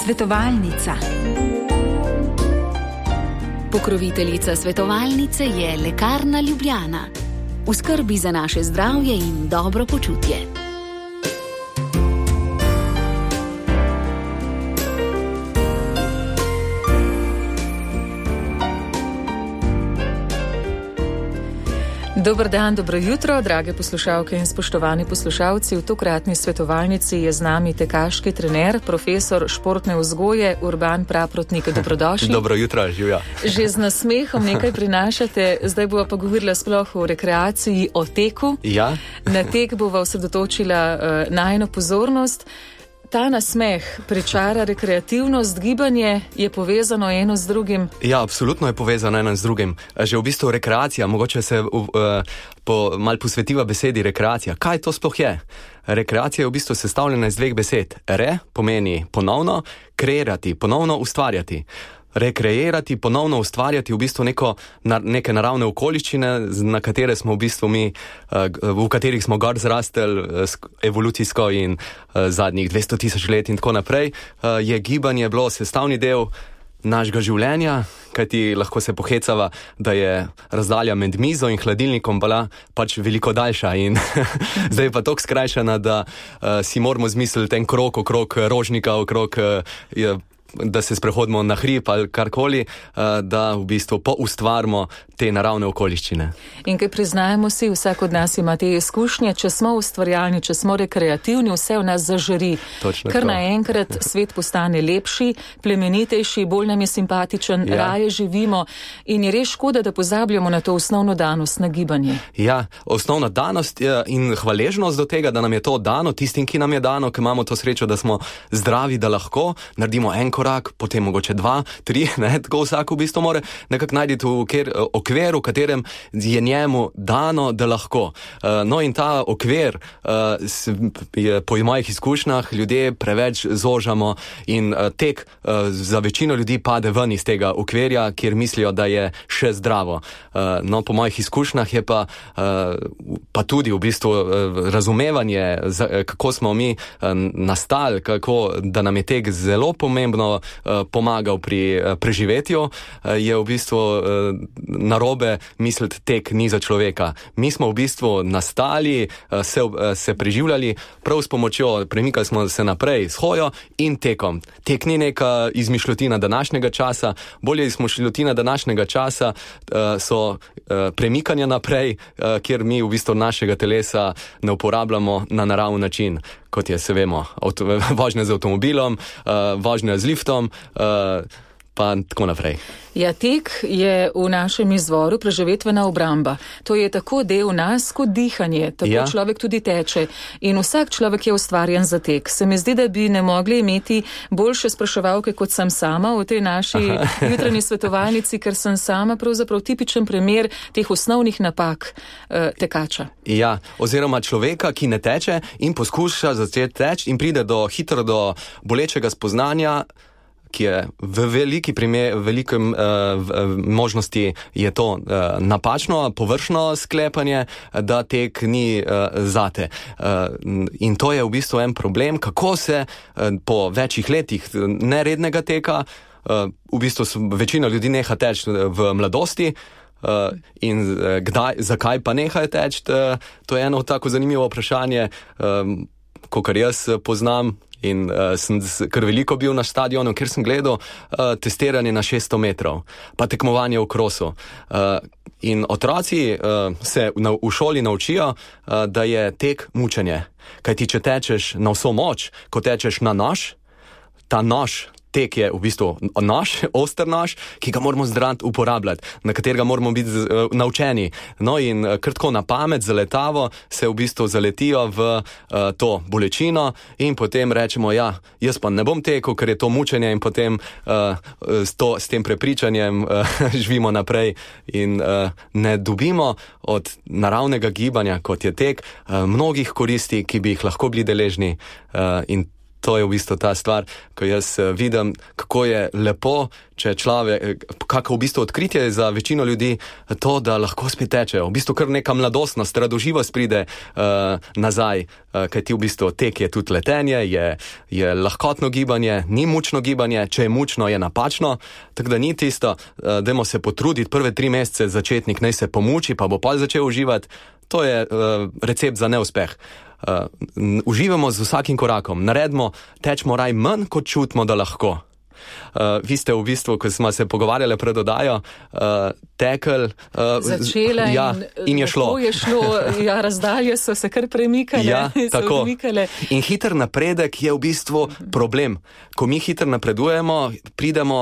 Svetovalnica. Pokroviteljica svetovalnice je Lekarna Ljubljana. V skrbi za naše zdravje in dobro počutje. Dober dan, dobro jutro, drage poslušalke in spoštovani poslušalci. V tokratni svetovalnici je z nami tekaški trener, profesor športne vzgoje Urban Praprotnik. Dobrodošli. Dobro jutro, živja. Že z nasmehom nekaj prinašate, zdaj bova pa govorila sploh o rekreaciji, o teku. Ja. Na tek bova osredotočila najino pozornost. Ta nasmeh pričara rekreativnost, gibanje je povezano eno z drugim? Ja, absolutno je povezano eno z drugim. Že v bistvu rekreacija, mogoče se mal posvetiva besedi rekreacija. Kaj to sploh je? Rekreacija je v bistvu sestavljena iz dveh besed. Re pomeni ponovno, kreirati, ponovno ustvarjati. Rekreirati, ponovno ustvarjati v bistvu neke naravne okoliščine, na katere smo v bistvu mi, v katerih smo gor zrasteli evolucijsko in zadnjih 200 tisoč let in tako naprej, je gibanje bilo sestavni del našega življenja, kajti lahko se pohecava, da je razdalja med mizo in hladilnikom bila pač veliko daljša in zdaj je pa toliko skrajšana, da si moramo zmisliti en krog okrog rožnika, okrog da se sprehodimo na hrib ali karkoli, da v bistvu poustvarimo te naravne okoliščine. In kaj priznajmo si, vsak od nas ima te izkušnje, če smo ustvarjalni, če smo rekreativni, vse v nas zažari. Kar naenkrat svet postane lepši, plemenitejši, bolj nam je simpatičen, raje živimo in je res škoda, da pozabljamo na to osnovno danost, na gibanje. Ja, osnovna danost in hvaležnost do tega, da nam je to dano, tistim, ki nam je dano, ki imamo to srečo, da smo zdravi, da lahko naredimo en korak, potem mogoče 2, 3, tako vsak v bistvu more nekako najti okvir, v katerem je njemu dano, da lahko. No in ta okvir po mojih izkušnjah ljudje preveč zožamo in tek za večino ljudi pade ven iz tega okvirja, kjer mislijo, da je še zdravo. No, po mojih izkušnjah je pa tudi v bistvu razumevanje, kako smo mi nastali, da nam je tek zelo pomembno pomagal pri preživetju, je v bistvu narobe misliti, tek ni za človeka. Mi smo v bistvu nastali, se preživljali prav s pomočjo, premikali smo se naprej s hojo in tekom. Tek ni neka izmišljotina današnjega časa, bolje izmišljotina današnjega časa so premikanja naprej, kjer mi v bistvu našega telesa ne uporabljamo na naraven način, kot je, se vemo, vožnja z avtomobilom, vožnja z liftom, pa tako naprej. Ja, tek je v našem izvoru preživetvena obramba. To je tako del nas kot dihanje, tako človek tudi teče. In vsak človek je ustvarjen za tek. Se mi zdi, da bi ne mogli imeti boljše spraševalke, kot sem sama v tej naši jutranji svetovalnici, ker sem sama pravzaprav tipičen primer teh osnovnih napak tekača. Ja, oziroma človeka, ki ne teče in poskuša začeti teči in pride hitro do bolečega spoznanja, ki je v veliki možnosti je to napačno, površno sklepanje, da tek ni zate. In to je v bistvu en problem, kako se po večjih letih nerednega teka, v bistvu večina ljudi neha teči v mladosti, in zakaj pa nehajo teči, to je eno tako zanimivo vprašanje, kakor jaz poznam. In sem kar veliko bil na stadionu, ker sem gledal testiranje na 600 metrov, pa tekmovanje v krosu. In otroci se v šoli naučijo, da je tek mučenje. Kajti če tečeš na vso moč, ko tečeš na nož, ta nož, tek je v bistvu nož, oster nož, ki ga moramo zdrant uporabljati, na katerega moramo biti naučeni. No in kratko na pamet, zaletavo, se v bistvu zaletijo v to bolečino in potem rečemo, ja, jaz pa ne bom tekel, ker je to mučenje in potem s tem prepričanjem živimo naprej in ne dobimo od naravnega gibanja, kot je tek, mnogih koristi, ki bi jih lahko bili deležni in To je v bistvu ta stvar, ko jaz vidim, kako je lepo, če človek, kako v bistvu odkritje za večino ljudi, to, da lahko spet tečejo. V bistvu kar neka mladostnost, radoživost pride nazaj, kaj ti v bistvu tek je tudi letenje, je lahkotno gibanje, ni mučno gibanje, če je mučno, je napačno, tako da ni tisto, dajmo se potruditi prve 3 mesece, začetnik naj se pomuči, pa bo pol začel uživati. To je recept za neuspeh. Uživamo z vsakim korakom, tečemo raj manj, kot čutimo, da lahko. Vi ste v bistvu, ko smo se pogovarjali pred oddajo, tekel, začela in je šlo. Razdalje so se kar premikale. Tako. In hiter napredek je v bistvu problem. Ko mi hiter napredujemo, pridemo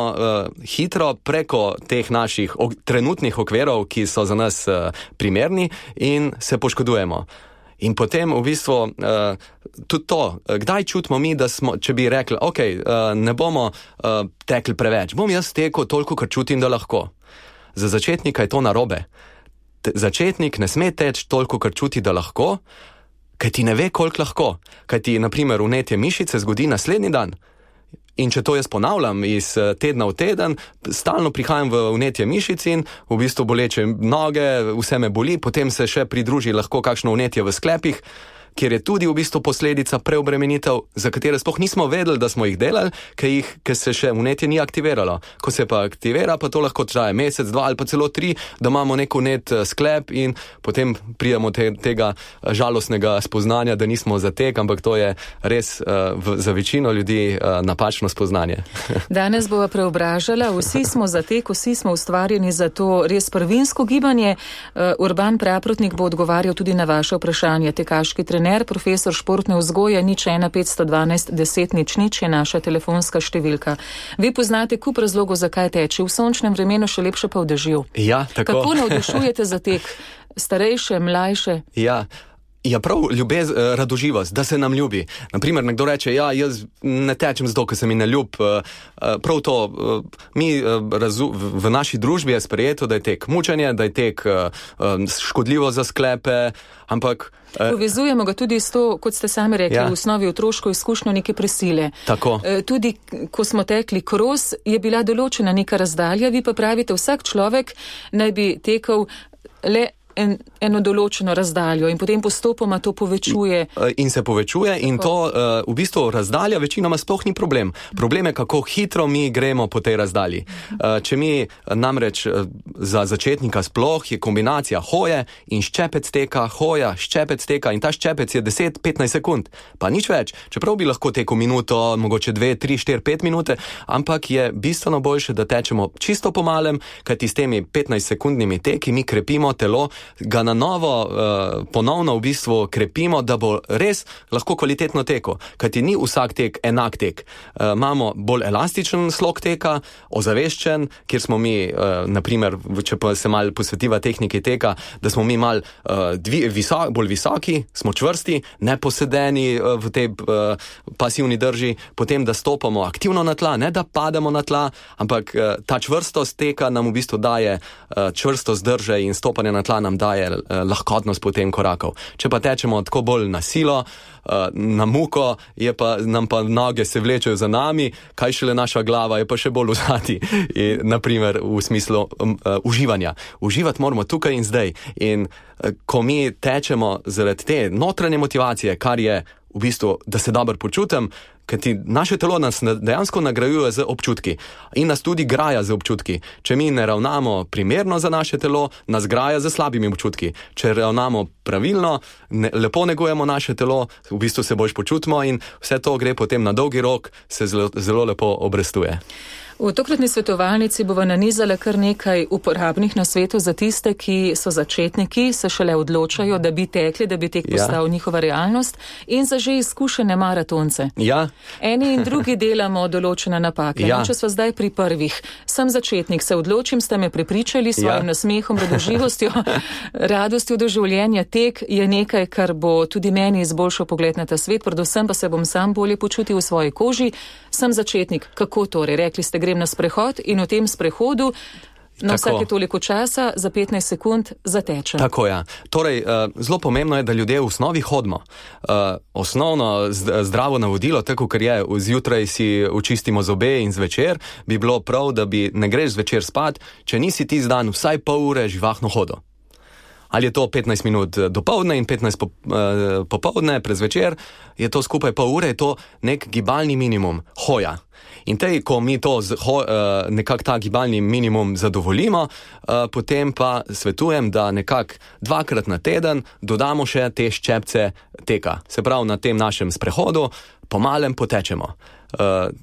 hitro preko teh naših trenutnih okvirov, ki so za nas primerni, in se poškodujemo. In potem v bistvu tudi to, kdaj čutimo mi, da smo, če bi rekli, ne bomo tekli preveč, bom jaz tekel toliko, kar čutim, da lahko. Za začetnika je to narobe. Začetnik ne sme teči toliko, kar čuti, da lahko, kaj ti ne ve, koliko lahko. Kaj ti, na primer, vnetje mišice zgodi naslednji dan. In če to jaz ponavljam iz tedna v teden, stalno prihajam v vnetje mišic in v bistvu boleče noge, vse me boli, potem se še pridruži lahko kakšno vnetje v sklepih, kjer je tudi v bistvu posledica preobremenitev, za katere sploh nismo vedeli, da smo jih delali, ker se še vnetje ni aktiviralo. Ko se pa aktivira, pa to lahko traja mesec, 2 ali pa celo 3, da imamo nek vnet sklep in potem prijemo tega žalostnega spoznanja, da nismo za tek, ampak to je res za večino ljudi napačno spoznanje. Danes bova preobražala, vsi smo za tek, vsi smo ustvarjeni za to res prvinsko gibanje. Urban Praprotnik bo odgovarjal tudi na vaše vprašanje. Tekaški trener, profesor športne vzgoje, 01 512 10 00 je naša telefonska številka. Vi poznate kup razlogov, zakaj teči. V sončnem vremenu, še lepše pa v dežju. Ja, tako. Kako navdušujete za tek? Starejše, mlajše? Ja, prav radoživost, da se nam ljubi. Naprimer, nekdo reče, jaz ne tečem zato, ker se mi ne ljub. Prav to, v naši družbi je sprejeto, da je tek mučenje, da je tek škodljivo za sklepe, ampak... Povezujemo ga tudi s to, kot ste sami rekli, v osnovi otroško izkušnjo neke prisile. Tako. Tudi, ko smo tekli kros, je bila določena neka razdalja, vi pa pravite, vsak človek naj bi tekel le eno določeno razdaljo in potem postopoma to povečuje. In se povečuje in to v bistvu razdalja večinoma sploh ni problem. Problem je, kako hitro mi gremo po tej razdalji. Če mi namreč za začetnika sploh je kombinacija hoje in ščepec teka, hoja, ščepec teka in ta ščepec je 10-15 sekund. Pa nič več. Čeprav bi lahko tekel minuto, mogoče 2, 3, 4, 5 minute, ampak je bistveno boljše, da tečemo čisto po malem, kajti s temi 15 sekundnimi teki mi krepimo telo, ga na novo ponovno v bistvu krepimo, da bo res lahko kvalitetno tekel. Kajti ni vsak tek enak tek. Imamo bolj elastičen slog teka, ozaveščen, kjer smo mi, naprimer, če pa se malo posvetiva tehniki teka, da smo mi malo bolj visoki, smo čvrsti, neposedeni v tej pasivni drži, potem da stopamo aktivno na tla, ne da pademo na tla, ampak ta čvrstost teka nam v bistvu daje čvrstost drže in stopanje na tla nam daje lahkotnost potem korakov. Če pa tečemo tako bolj na silo, na muko, nam pa noge se vlečejo za nami, kaj šele naša glava je pa še bolj vzadi, naprimer v smislu uživanja. Uživati moramo tukaj in zdaj. In ko mi tečemo zaradi te notranje motivacije, kar je v bistvu, da se dobro počutim, kajti naše telo nas dejansko nagrajuje z občutki in nas tudi graja z občutki. Če mi ne ravnamo primerno za naše telo, nas graja z slabimi občutki. Če ravnamo pravilno, lepo negujemo naše telo, v bistvu se boljš počutimo in vse to gre potem na dolgi rok, se zelo lepo obrestuje. V tokratni svetovalnici bova nanizala kar nekaj uporabnih nasvetov za tiste, ki so začetniki, se šele odločajo, da bi tekli, da bi tek postal njihova realnost, in za že izkušene maratonce. Eni in drugi delamo določene napake. Če sva zdaj pri prvih. Sem začetnik, se odločim, ste me prepričali s svojim nasmehom, radoživostjo, radostjo do življenja. Tek je nekaj, kar bo tudi meni izboljšal pogled na ta svet, predvsem pa se bom sam bolje počutil v svoji koži. Sem začetnik. Kako torej? Rekli ste, grem na sprehod in v tem sprehodu Na vsake toliko časa, za 15 sekund zatečem. Tako je. Torej, zelo pomembno je, da ljudje v osnovi hodimo. Osnovno zdravo navodilo, tako ker je, zjutraj si očistimo zobe in zvečer, bi bilo prav, da ne greš zvečer spat, če nisi ti zdan vsaj pol ure živahno hodo. Ali je to 15 minut dopoldne in 15 popoldne, prezvečer, je to skupaj pol ure, je to nek gibalni minimum, hoja. In ko mi to nekako ta gibalni minimum zadovoljimo, potem pa svetujem, da nekako 2-krat na teden dodamo še te ščepce teka. Se pravi, na tem našem sprehodu pomalem potečemo.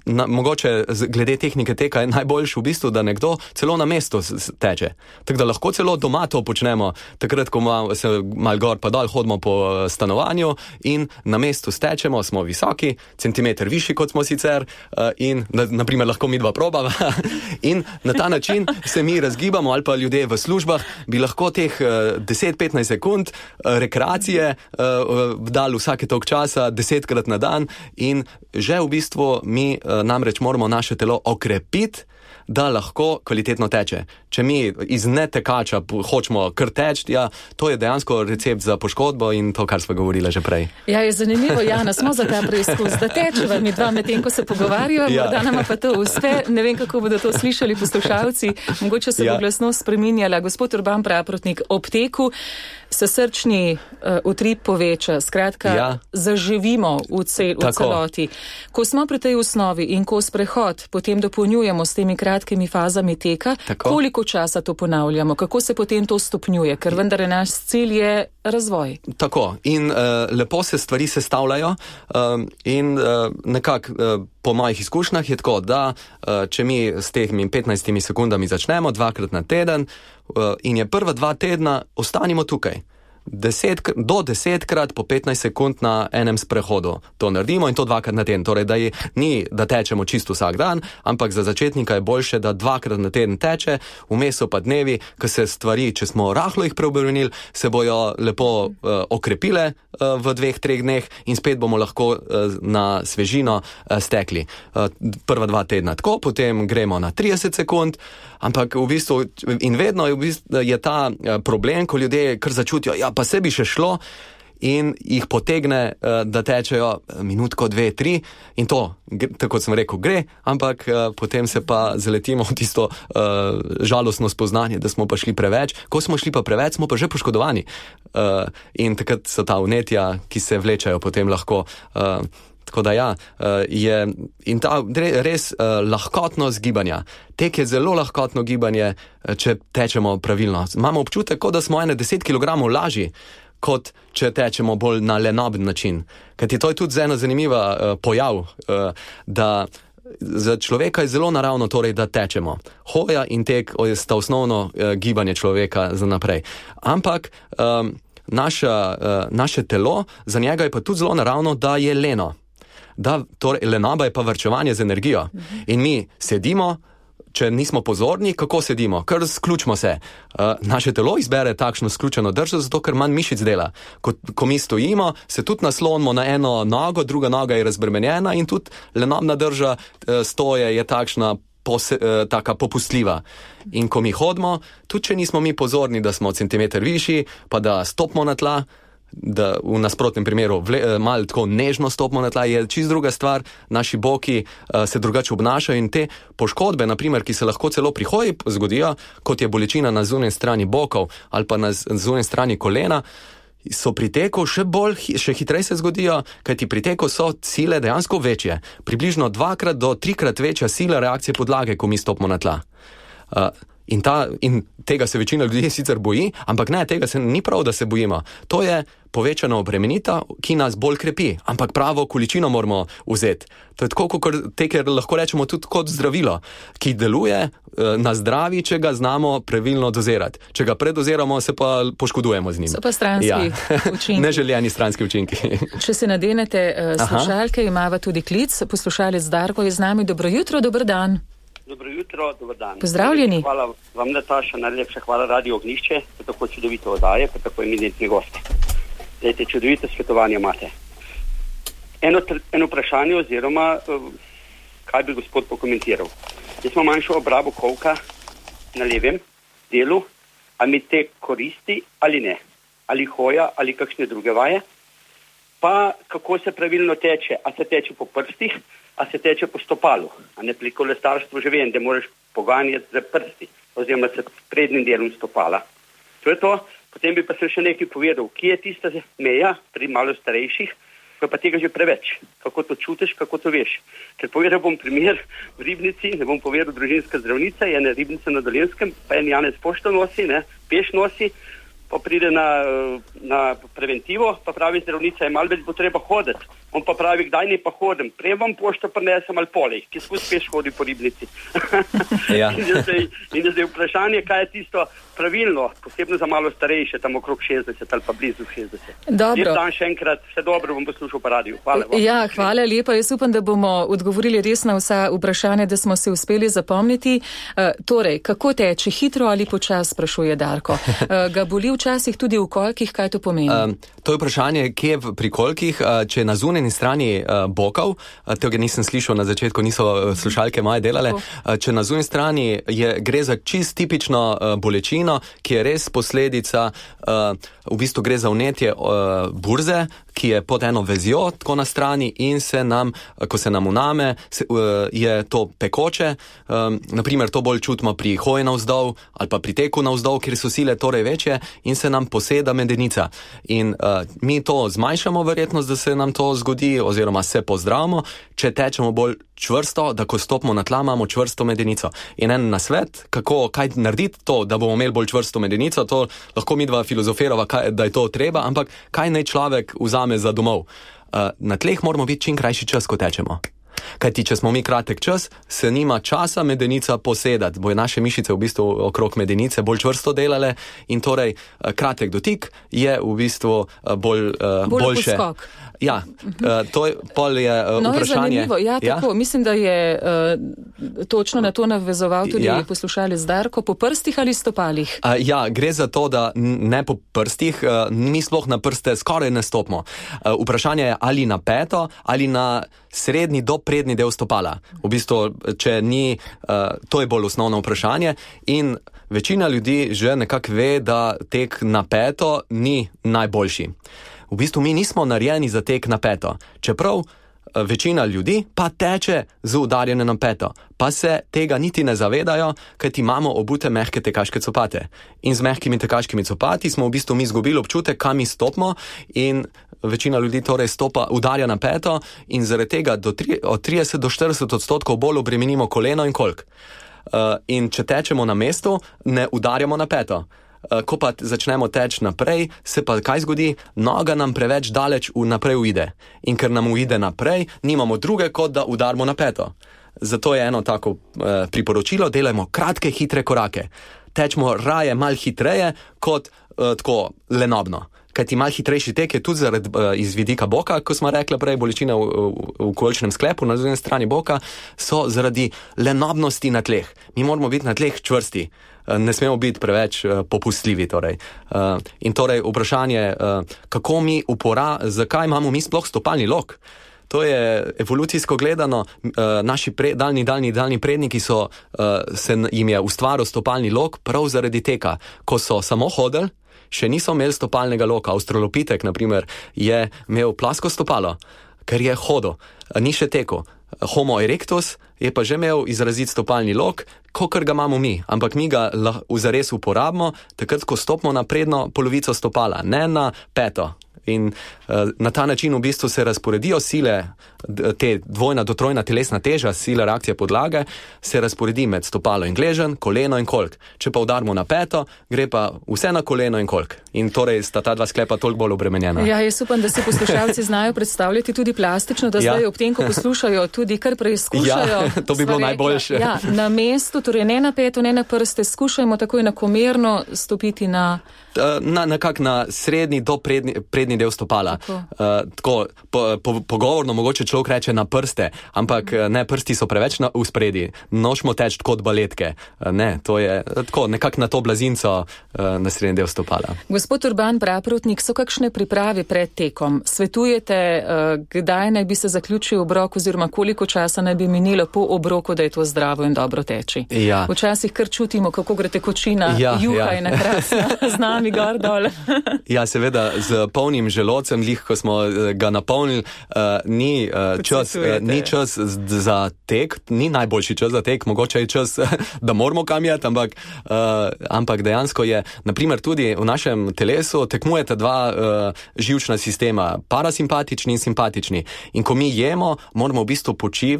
Mogoče glede tehnike teka je najboljše v bistvu, da nekdo celo na mestu teče. Tako da lahko celo doma to počnemo, takrat, ko se mal gor pa dol hodimo po stanovanju in na mestu stečemo, smo visoki, centimeter višji kot smo sicer in naprimer lahko mi dva probava in na ta način se mi razgibamo ali pa ljudje v službah bi lahko teh 10-15 sekund rekreacije dali vsake toliko časa, 10-krat na dan in že v bistvu mi namreč moramo naše telo okrepiti, da lahko kvalitetno teče. Če mi iz netekača hočemo kar teči, to je dejansko recept za poškodbo in to, kar smo govorili že prej. Ja, je zanimivo, Jana, smo za ta preizkus, da tečeva mi dva medtem, ko se pogovarjajo, morda nama pa to uspe. Ne vem, kako bodo to slišali poslušalci, mogoče se bo glasnost spreminjala. Gospod Urban Praprotnik, ob teku se srčni utrip poveča, skratka, zaživimo v celoti. Ko smo pri tej osnovi in ko sprehod potem dopolnjujemo s temi kratkimi fazami teka, koliko časa to ponavljamo, kako se potem to stopnjuje, ker vendar naš cilj je razvoj. Tako, in lepo se stvari sestavljajo in nekako po mojih izkušnjah je tako, da če mi s temi 15 sekundami začnemo 2-krat na teden in je prva 2 tedna, ostanimo tukaj. Do 10-krat po 15 sekund na enem sprehodu to naredimo in to 2-krat na teden. Torej, da tečemo čisto vsak dan, ampak za začetnika je boljše, da 2-krat na teden teče, vmes so pa dnevi, ko se stvari, če smo rahlo jih preobremenili, se bojo lepo okrepile v 2-3 dneh in spet bomo lahko na svežino stekli. Prva 2 tedna tako, potem gremo na 30 sekund, ampak v bistvu, in vedno je ta problem, ko ljudje kar začutijo, pa se bi še šlo in jih potegne, da tečejo minutko, 2, 3 in to, tako sem rekel, gre, ampak potem se pa zaletimo v tisto žalostno spoznanje, da smo pa šli preveč. Ko smo šli pa preveč, smo pa že poškodovani in takrat so ta vnetja, ki se vlečajo potem lahko. Tako da je in ta res lahkotno zgibanja. Tek je zelo lahkotno gibanje, če tečemo pravilno. Imamo občutek, kot da smo 10 kg lažji, kot če tečemo bolj na lenoben način. Kajti to je tudi ena zanimiva pojav, da za človeka je zelo naravno torej, da tečemo. Hoja in tek sta osnovno gibanje človeka za naprej. Ampak naše telo, za njega je pa tudi zelo naravno, da je leno. Torej, lenoba je pa varčevanje z energijo. In mi sedimo, če nismo pozorni, kako sedimo? Kar sključimo se. Naše telo izbere takšno sključeno držo, zato ker manj mišic dela. Ko mi stojimo, se tudi naslonimo na eno nogo, druga noga je razbremenjena in tudi lenobna drža stoje je takšna taka popustljiva. In ko mi hodimo, tudi če nismo mi pozorni, da smo centimeter višji, pa da stopimo na tla, da v nasprotnem primeru malo tako nežno stopimo na tla, je čisto druga stvar, naši boki se drugače obnašajo in te poškodbe, naprimer, ki se lahko celo pri hoji zgodijo, kot je bolečina na zunanji strani bokov ali pa na zunanji strani kolena, so pri teku še hitreje se zgodijo, kajti pri teku so sile dejansko večje. Približno 2-krat do 3-krat večja sila reakcije podlage, ko mi stopimo na tla. In tega se večina ljudi sicer boji, ampak ne, tega se ni prav, da se bojimo. To je povečana obremenitev, ki nas bolj krepi, ampak pravo količino moramo vzeti. To je tako, kot ker lahko rečemo tudi kot zdravilo, ki deluje na zdravi, če ga znamo pravilno dozirati. Če ga predoziramo, se pa poškodujemo z njim. So pa stranski učinki. Neželjeni stranski učinki. Če se nadenete slušalke, imava tudi klic. Poslušalec Darko je z nami. Dobro jutro, dober dan. Dobro jutro, dober dan. Pozdravljeni. Hvala vam, Nataša, najlepša hvala Radio Ognjišče, pa tako čudovito oddaje, pa tako eminentni gosti. Dajte, čudovito svetovanje imate. Eno vprašanje oziroma kaj bi gospod pokomentiral. Jaz imam manjšo obrabo kolka, na levem delu, a mi te koristi ali ne, ali hoja ali kakšne druge vaje, pa kako se pravilno teče, a se teče po prstih, a se teče po stopalu, a ne pri kolesarstvu že vem, da moraš poganjati za prsti, oziroma s prednjim delom stopala. To je to, potem bi pa se še nekaj povedal, kje je tista meja pri malo starejših, ko pa tega že preveč, kako to čutiš, kako to veš. Ker povedal bom primer v Ribnici, ne bom povedal družinska zdravnica, je ena Ribnica na Dolenjskem, pa en Janez pošto nosi, peš nosi, pa pride na preventivo, pa pravi zdravnica, je malo več bo treba hoditi. On pa pravi, kdaj ne pa hodim, prej vam pošto prinesem ali polej, ki skozi peš hodi po Ribnici. Ja. In je zdaj vprašanje, kaj je tisto pravilno, posebno za malo starejše, tam okrog 60 ali pa blizu 60. Dobro. Lep dan še enkrat, vse dobro, bom poslušal po radiju. Hvala. Ja, hvala lepa. Jaz upam, da bomo odgovorili res na vsa vprašanja, da smo se uspeli zapomniti. Torej, kako teče, hitro ali počas, sprašuje Darko. Ga boli včasih tudi v kolkih, kaj to pomeni? To je vprašanje, kje pri kolkih, če na zunanji strani bokov, tega nisem slišal na začetku, niso slušalke moje delale, če na zunanji strani gre za čist tipično bolečino, ki je res posledica, v bistvu gre za vnetje burze, ki je pod eno vezjo tako na strani in se nam, ko se nam uname, je to pekoče. Naprimer, to bolj čutimo pri hoji navzdol ali pa pri teku navzdol, kjer so sile torej večje in se nam poseda medenica. In mi to zmanjšamo verjetnost, da se nam to zgodi oziroma se pozdravimo, če tečemo bolj čvrsto, da ko stopimo na tla, imamo čvrsto medenico. In en nasvet, kaj narediti to, da bomo imeli bolj čvrsto medenico, to lahko midva filozofirava, da je to treba, ampak kaj naj človek vzame za domov? Na tleh moramo biti čim krajši čas, ko tečemo. Kajti, če smo mi kratek čas, se nima časa medenica posedati, bojo naše mišice v bistvu okrog medenice bolj čvrsto delale in torej kratek dotik je v bistvu boljše. Poskok. Ja, to je vprašanje. Je zanimivo, ja, tako. Mislim, da je točno na to navezoval tudi poslušalec Darko, po prstih ali stopalih? Ja, gre za to, da ne po prstih, mi sploh na prste skoraj ne stopimo. Vprašanje je ali na peto ali na srednji do prednji del stopala. V bistvu, če ni, to je bolj osnovno vprašanje in večina ljudi že nekako ve, da tek na peto ni najboljši. V bistvu mi nismo narejeni za tek na peto, čeprav večina ljudi pa teče z udarjanjem na peto, pa se tega niti ne zavedajo, kajti imamo obute mehke tekaške copate. In z mehkimi tekaškimi copati smo v bistvu mi izgubili občutek, kam mi stopimo in večina ljudi torej udarja na peto in zaradi tega od 30 do 40% bolj obremenimo koleno in kolk. In če tečemo na mestu, ne udarjamo na peto. Ko pa začnemo teči naprej, se pa kaj zgodi? Noga nam preveč daleč naprej uide. In ker nam uide naprej, nimamo druge, kot da udarimo na peto. Zato je eno tako priporočilo, delajmo kratke, hitre korake. Tečemo raje malo hitreje, kot tako lenobno. Kajti malo hitrejši tek je tudi iz vidika boka, ko smo rekli prej, bolečine v kolčnem sklepu na zunanji strani boka, so zaradi lenobnosti na tleh. Mi moramo biti na tleh čvrsti. Ne smemo biti preveč popustljivi. Torej. In torej vprašanje, zakaj imamo mi sploh stopalni lok? To je evolucijsko gledano, naši daljni predniki jim je ustvaril stopalni lok prav zaradi teka. Ko so samo hodili, še niso imeli stopalnega loka. Avstralopitek, na primer, je imel plasko stopalo, ker je hodil, ni še tekel. Homo erectus je pa že imel izrazit stopalni lok, kakor ga imamo mi, ampak mi ga zares uporabimo takrat, ko stopimo na prednjo polovico stopala, ne na peto. In na ta način v bistvu se razporedijo sile, te dvojna do trojna telesna teža, sila reakcije podlage, se razporedi med stopalo in gleženj, koleno in kolk. Če pa udarimo na peto, gre pa vse na koleno in kolk. In torej sta ta dva sklepa toliko bolj obremenjena. Ja, jaz upam, da si poslušalci znajo predstavljati tudi plastično, da zdaj ob tem, ko poslušajo, tudi kar preizkušajo. Ja, to bi bilo najboljše. Ja, na mestu, torej ne na peto, ne na prste, skušajmo tako enakomerno stopiti nekako na srednji do prednji srednji del stopala. Tako pogovorno mogoče človek reče na prste, ampak ne, prsti so preveč v spredi. Nočemo teči kot baletke. Ne, to je tako, nekako na to blazinco na srednji del stopala. Gospod Urban Praprotnik, so kakšne priprave pred tekom? Svetujete, kdaj naj bi se zaključil obrok oziroma koliko časa naj bi minilo po obroku, da je to zdravo in dobro teči? Ja. Včasih kar čutimo, kako gre tekočina, juha je nakrasna, z nami gor dol. Ja, seveda, z polnim želodcem, ko smo ga napolnili, ni čas za tek, ni najboljši čas za tek, mogoče je čas, da moramo kam jeti, ampak dejansko je, naprimer tudi v našem telesu tekmujeta dva živčna sistema, parasimpatični in simpatični. In ko mi jemo, moramo v bistvu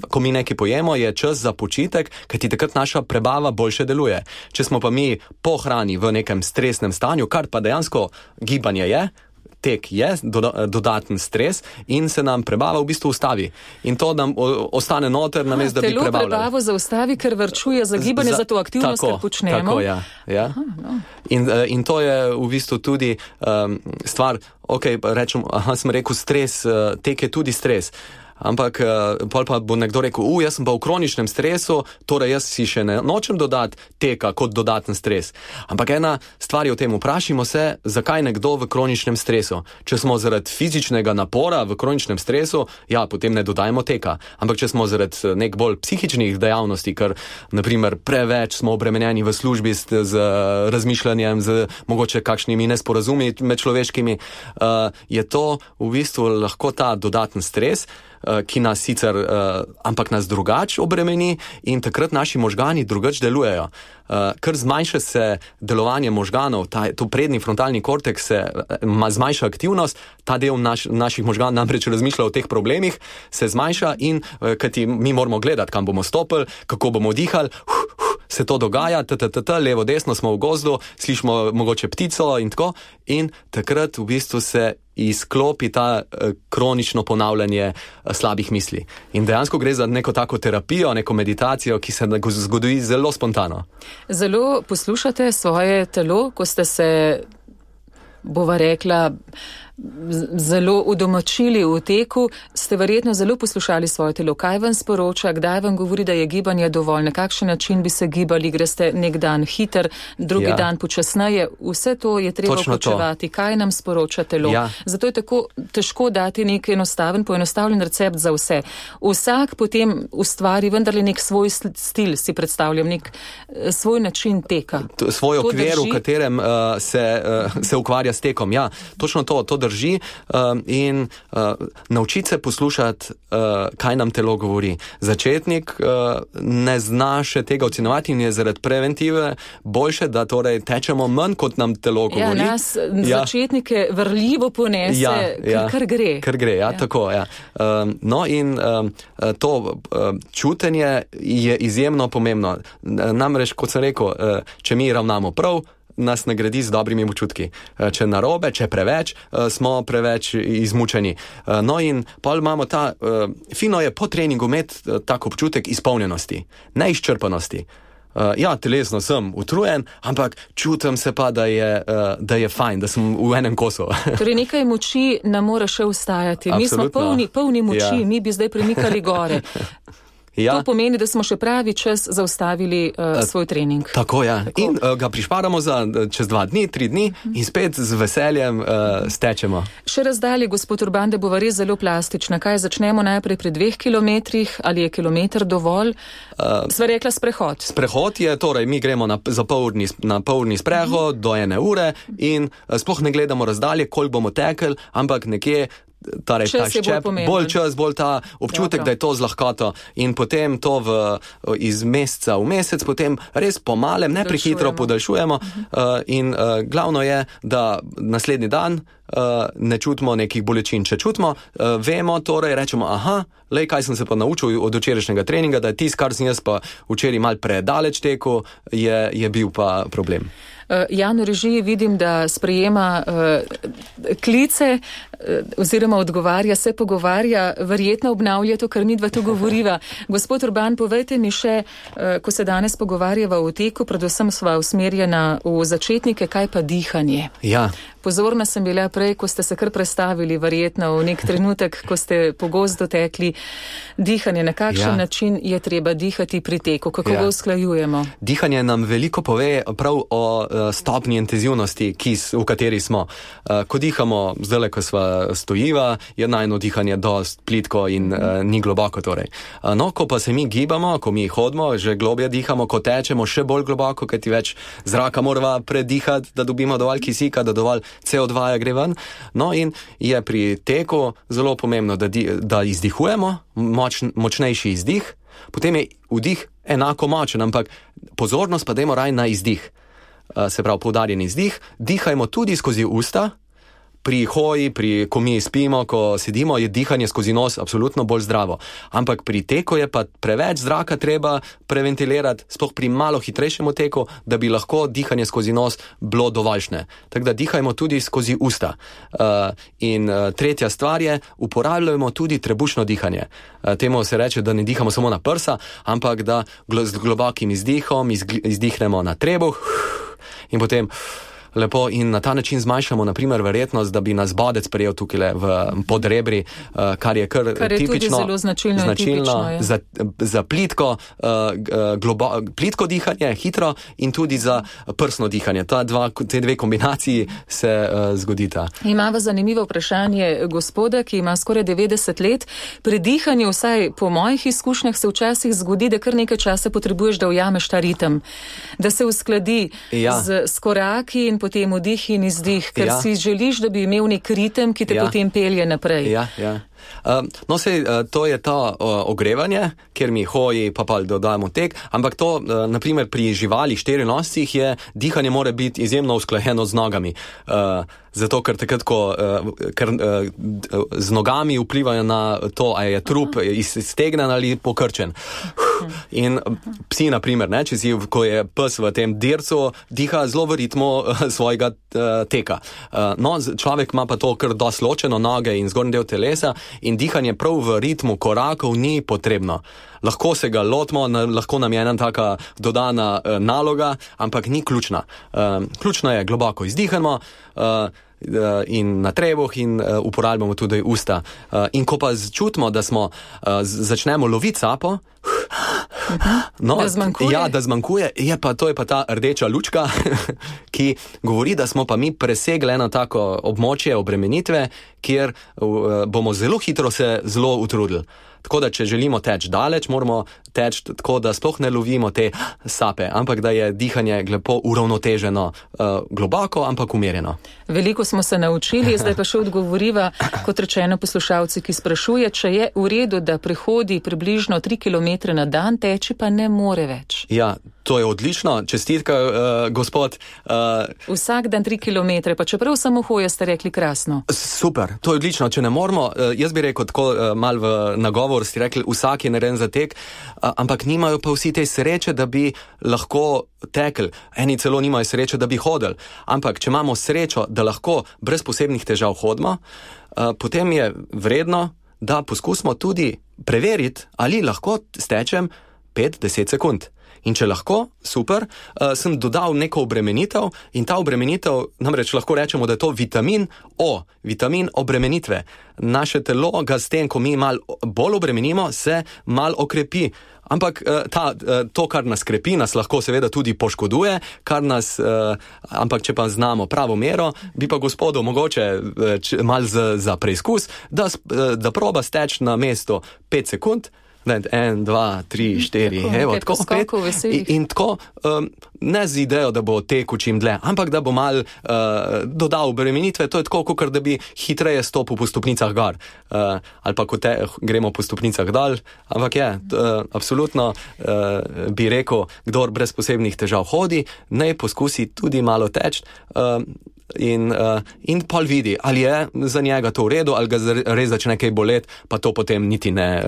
ko mi nekaj pojemo, je čas za počitek, kajti takrat naša prebava boljše deluje. Če smo pa mi po hrani v nekem stresnem stanju, kar pa dejansko gibanje je, tek je dodaten stres in se nam prebava v bistvu ustavi. In to nam ostane noter, namesto da bi prebavljali. Telo prebavo zaustavi, ker varčuje za gibanje, za to aktivnost, kar počnemo. Tako, ja. Aha, no. In to je v bistvu tudi stvar, rečem, sem rekel stres, tek je tudi stres. Ampak pol pa bo nekdo rekel, jaz sem pa v kroničnem stresu, torej jaz si še ne nočem dodati teka kot dodaten stres. Ampak ena stvar je o tem, vprašimo se, zakaj nekdo v kroničnem stresu. Če smo zaradi fizičnega napora v kroničnem stresu, potem ne dodajmo teka. Ampak če smo zaradi nek bolj psihičnih dejavnosti, ker naprimer preveč smo obremenjeni v službi z razmišljanjem, z mogoče kakšnimi nesporazumi med človeškimi, je to v bistvu lahko ta dodaten stres, ki nas sicer, ampak nas drugače obremeni in takrat naši možgani drugače delujejo. Ker zmanjša se delovanje možganov, to prednji frontalni korteks se zmanjša aktivnost, ta del naših možganov namreč razmišlja o teh problemih, se zmanjša in kajti mi moramo gledati, kam bomo stopili, kako bomo dihali, se to dogaja, levo, desno smo v gozdu, slišimo mogoče ptico in tako, in takrat v bistvu se izklopi ta kronično ponavljanje slabih misli. In dejansko gre za neko tako terapijo, neko meditacijo, ki se zgodi zelo spontano. Zelo poslušate svoje telo, ko ste se, bova rekla, zelo udomačili v teku, ste verjetno zelo poslušali svoje telo. Kaj vam sporoča, kdaj vam govori, da je gibanje dovolj, na kakšen način bi se gibali, greste nek dan hiter, drugi dan počasneje, vse to je treba upočevati. Kaj nam sporoča telo? Zato je tako težko dati nek poenostavljen recept za vse. Vsak potem ustvari vendarle nek svoj stil, si predstavljam, nek svoj način teka. Svoj okvir, v katerem se ukvarja s tekom. Ja, točno to drži in naučiti se poslušati, kaj nam telo govori. Začetnik ne zna še tega ocenovati in je zaradi preventive boljše, da torej tečemo manj, kot nam telo govori. Nas začetnike vrljivo ponese, kar gre. Kar gre, tako, ja. No in to čutenje je izjemno pomembno. Namreč, kot sem rekel, če mi ravnamo prav, nas nagradi z dobrimi občutki. Če narobe, če preveč, smo preveč izmučeni. No in pol imamo fino je po treningu imeti tak občutek izpolnjenosti, neizčrpanosti. Telesno sem utrujen, ampak čutim se pa, da je fajn, da sem v enem kosu. Torej nekaj moči nam mora še ustajati. Absolutno. Mi smo polni moči, mi bi zdaj premikali gore. To pomeni, da smo še pravi čas zaustavili svoj trening. Tako, ja. Tako. In ga prišparamo za čez 2 dni, 3 dni in spet z veseljem stečemo. Še razdalje, gospod Urban, da bova res zelo plastična. Kaj začnemo najprej pri 2 kilometrih? Ali je kilometer dovolj? Sva rekla sprehod. Sprehod je, torej mi gremo na pol urni sprehod do 1 ure in sploh ne gledamo razdalje, koliko bomo tekli, ampak nekje ta ščep, bolj čas, bolj ta občutek, da je to z lahkoto in potem to iz meseca v mesec, potem res pomalem, ne prehitro podaljšujemo in glavno je, da naslednji dan ne čutimo nekih bolečin. Če čutimo, vemo, torej rečemo, kaj sem se pa naučil od včerajšnjega treninga, da je tisto, kar sem jaz pa včeraj mal predaleč tekel, je bil pa problem. Jan v režiji vidim, da sprejema klice oziroma odgovarja, se pogovarja, verjetno obnavlja to, kar midva tu govoriva. Gospod Urban, povejte mi še, ko se danes pogovarjava o teku, predvsem sva usmerjena v začetnike, kaj pa dihanje? Ja. Pozorna sem bila prej, ko ste se kar predstavili, verjetno v nek trenutek, ko ste po gozdu tekli, dihanje, na kakšen način je treba dihati pri teku, kako ga usklajujemo? Dihanje nam veliko pove prav o stopnji intenzivnosti, v kateri smo. Ko dihamo, zdaj, ko sva stojiva, je najno dihanje dost plitko in ni globoko torej. No, ko pa se mi gibamo, ko mi hodimo, že globje dihamo, ko tečemo še bolj globoko, kajti več zraka morava predihati, da dobimo dovolj kisika, da dovolj CO2 gre ven. No in je pri teku zelo pomembno, da izdihujemo, močnejši izdih, potem je vdih enako močen, ampak pozornost pa dajmo raj na izdih. Se pravi, poudarjen izdih, dihajmo tudi skozi usta. Pri hoji, ko mi spimo, ko sedimo, je dihanje skozi nos absolutno bolj zdravo. Ampak pri teku je pa preveč zraka treba preventilirati, sploh pri malo hitrejšemu teku, da bi lahko dihanje skozi nos bilo dovoljšne. Tako da dihajmo tudi skozi usta. In tretja stvar je, uporabljajmo tudi trebušno dihanje. Temu se reče, da ne dihamo samo na prsa, ampak da z globokim izdihom izdihnemo na trebuh in potem lepo in na ta način zmanjšamo, na primer, verjetnost, da bi nas bodec prejel tukaj pod rebri, kar je kar tipično, tudi zelo značilno za plitko, plitko dihanje, hitro in tudi za prsno dihanje. Te dve kombinaciji se zgodita. Imava zanimivo vprašanje gospoda, ki ima skoraj 90 let. Pri dihanju, vsaj po mojih izkušnjah, se včasih zgodi, da kar nekaj časa potrebuješ, da ujameš ta ritem, da se uskladi s koraki in potem vdih in izdih, ker si želiš, da bi imel nek ritem, ki te potem pelje naprej. No, to je to ogrevanje, kjer mi hoji, pa dodajamo tek, ampak to, naprimer, pri živalih štirinoscih je dihanje mora biti izjemno usklajeno z nogami. Zato, ker takrat, ko z nogami vplivajo na to, a je trup iztegnen ali pokrčen. In psi, na primer, ko je pes v tem dircu, diha zelo v ritmu svojega teka. No, človek ima pa to kar dosti ločeno, noge in zgornji del telesa, in dihanje prav v ritmu korakov ni potrebno. Lahko se ga lotimo, lahko nam je ena taka dodana naloga, ampak ni ključna. Ključno je globoko izdihamo in na trebuh in uporabljamo tudi usta. In ko pa čutimo, da začnemo loviti sapo, da zmanjkuje, to je pa ta rdeča lučka, ki govori, da smo pa mi presegli eno tako območje obremenitve, kjer bomo zelo hitro se zelo utrudili. Tako da, če želimo teči daleč, moramo teči tako, da sploh ne lovimo te sape, ampak da je dihanje lepo uravnoteženo, globoko, ampak umirjeno. Veliko smo se naučili, zdaj pa še odgovoriva, kot rečeno, poslušalci, ki sprašuje, če je v redu, da prehodi približno 3 km na dan, teči pa ne more več. Ja, to je odlično, čestitka, gospod. Vsak dan 3 km, pa čeprav samo hoje, ste rekli krasno. Super, to je odlično, če ne moramo, jaz bi rekel tako mal v nagovor, ste rekli, vsak je narejen za tek, ampak nimajo pa vsi te sreče, da bi lahko tekli. Eni celo nimajo sreče, da bi hodili. Ampak, če imamo srečo, da lahko brez posebnih težav hodimo, potem je vredno, da poskusimo tudi preveriti, ali lahko stečem 5-10 sekund. In če lahko, super, sem dodal neko obremenitev in ta obremenitev, namreč lahko rečemo, da je to vitamin O, vitamin obremenitve. Naše telo ga s tem, ko mi malo bolj obremenimo, se malo okrepi. Ampak to, kar nas krepi, nas lahko seveda tudi poškoduje, ampak če pa znamo pravo mero, bi pa gospodu mogoče malo za preizkus, da proba steči na mesto 5 sekund, 1, 2, 3, 4, evo, tako 5. In tako, ne z idejo, da bo tekel čim dlje, ampak da bo mal dodal obremenitve, to je tako, kot da bi hitreje stopil po stopnicah gor. Ali pa ko gremo po stopnicah dol, ampak absolutno bi rekel, kdor brez posebnih težav hodi, naj poskusi tudi malo teči, in pol vidi, ali je za njega to v redu, ali ga res začne kaj boleti, pa to potem niti ne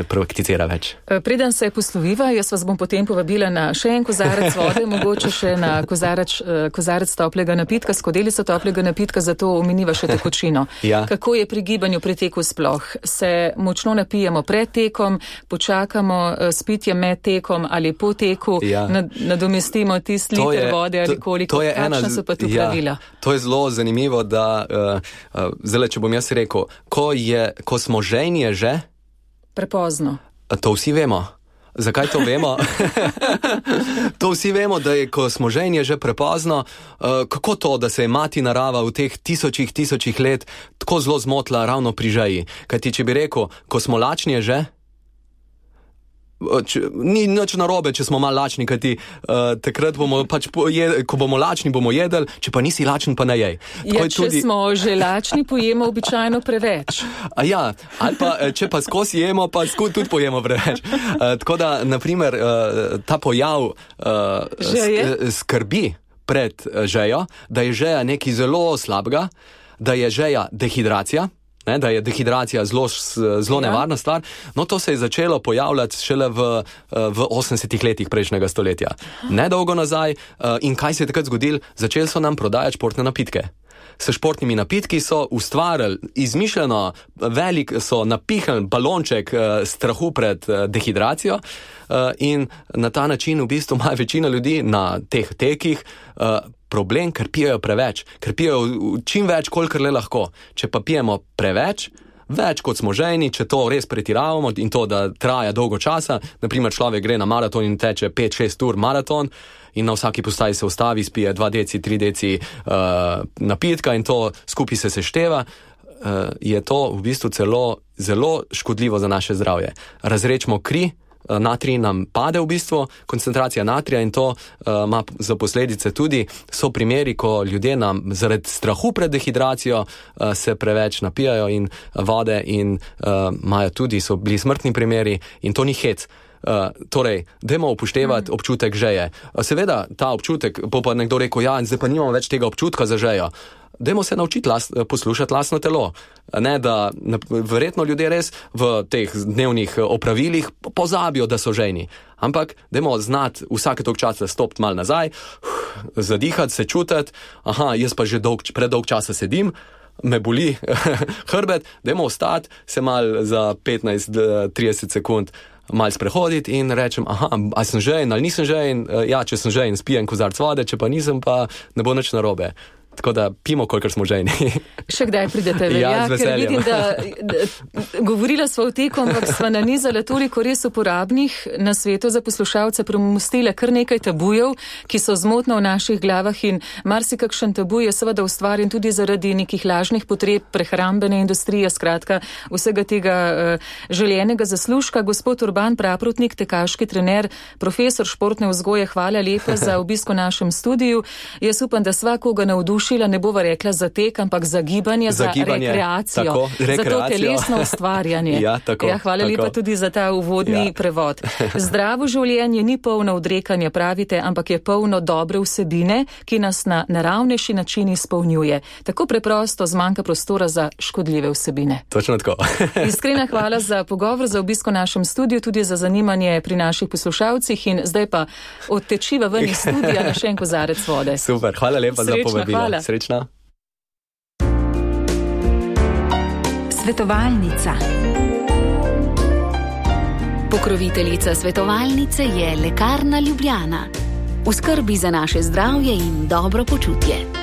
prakticira več. Preden se posloviva, jaz vas bom potem povabila na še en kozarec vode, mogoče še na kozarec toplega napitka, skodelico toplega napitka, zato omeniva še tekočino. Kako je pri gibanju pri teku sploh? Se močno napijemo pred tekom, počakamo s pitjem med tekom ali po teku, nadomestimo tisti liter vode ali koliko, kakšna so pa tu pravila? To je zelo zanimivo, da zdaj, če bom jaz rekel, ko smo žejni, je že prepozno. To vsi vemo. Zakaj to vemo? To vsi vemo, da je, ko smo žejni, je že prepozno. Kako to, da se je mati narava v teh tisočih let tako zelo zmotila ravno pri žeji? Kajti, če bi rekel, ko smo lačni, je že? Ni nič narobe, če smo malo lačni, kajti takrat bomo pač ko bomo lačni, bomo jedli, če pa nisi lačen, pa ne jej. Če smo že lačni, pojemo običajno preveč. Ja, ali pa če pa skozi jemo, pa tudi pojemo preveč. Tako da, naprimer, ta pojav skrbi pred žejo, da je žeja nekaj zelo slabega, da je žeja dehidracija, da je dehidracija zelo nevarna stvar. No, to se je začelo pojavljati šele v 80 letih prejšnjega stoletja. Nedolgo nazaj. In kaj se je takrat zgodilo? Začeli so nam prodajati športne napitke. S športnimi napitki so ustvarili izmišljeno so napihnili balonček strahu pred dehidracijo in na ta način v bistvu ima večina ljudi na teh tekih problem, ker pijejo preveč, ker pijejo čim več, kolikor le lahko. Če pa pijemo preveč, več kot smo žejni, če to res pretiravamo in to, da traja dolgo časa, naprimer človek gre na maraton in teče 5-6 ur maraton in na vsaki postaji se ustavi, spije 2 deci, 3 deci napitka in to skupaj se sešteva, je to v bistvu zelo škodljivo za naše zdravje. Razrečimo kri, natrij nam pade v bistvu, koncentracija natrija in to ima za posledice tudi, so primeri, ko ljudje nam zaradi strahu pred dehidracijo se preveč napijajo in vode in imajo tudi, so bili smrtni primeri in to ni hec. Torej, dajmo upoštevati občutek žeje. Seveda, ta občutek, bo pa nekdo rekel, ja, zdaj pa nimamo več tega občutka za žejo. Dajmo se naučiti poslušati lastno telo. Ne, da verjetno ljudje res v teh dnevnih opravilih pozabijo, da so žejni. Ampak dajmo znati vsake toliko časa stopiti malo nazaj, zadihati, se čutiti, jaz pa že predolg časa sedim, me boli hrbet, dajmo ostati, se malo za 15-30 sekund malo sprehoditi in rečem, ali sem žejen ali nisem žejen, ja, če sem žejen, spijem kozarc vode, če pa nisem, pa ne bo nič narobe. Tako da pijemo, kolikor smo žejni. Še kdaj pridete ven? Ja, ker vidim, da govorila sva o teku, ampak sva nanizala toliko res uporabnih na svetu za poslušalce, premostile kar nekaj tabujev, ki so zmotno v naših glavah in marsikakšen tabu je seveda ustvarjen tudi zaradi nekih lažnih potreb prehrambene industrije, skratka vsega tega željenega zaslužka. Gospod Urban Praprotnik, tekaški trener, profesor športne vzgoje, hvala lepa za obisk v našem studiu. Jaz upam, da svakoga navdušila, ne bova rekla za tek, ampak za gibanje, za rekreacijo, tako, za to telesno ustvarjanje. Hvala lepa tudi za ta uvodni prevod. Zdravo življenje ni polno odrekanja, pravite, ampak je polno dobre vsebine, ki nas na naravnejši način izpolnjuje. Tako preprosto zmanjka prostora za škodljive vsebine. Točno tako. Iskrena hvala za pogovor, za obisk v našem studiu, tudi za zanimanje pri naših poslušalcih in zdaj pa odtečiva ven iz studija na še en kozarec vode. Super, hvala lepa za povabilo. Hvala. Srečno. Svetovalnica. Pokroviteljica svetovalnice je Lekarna Ljubljana. V skrbi za naše zdravje in dobro počutje.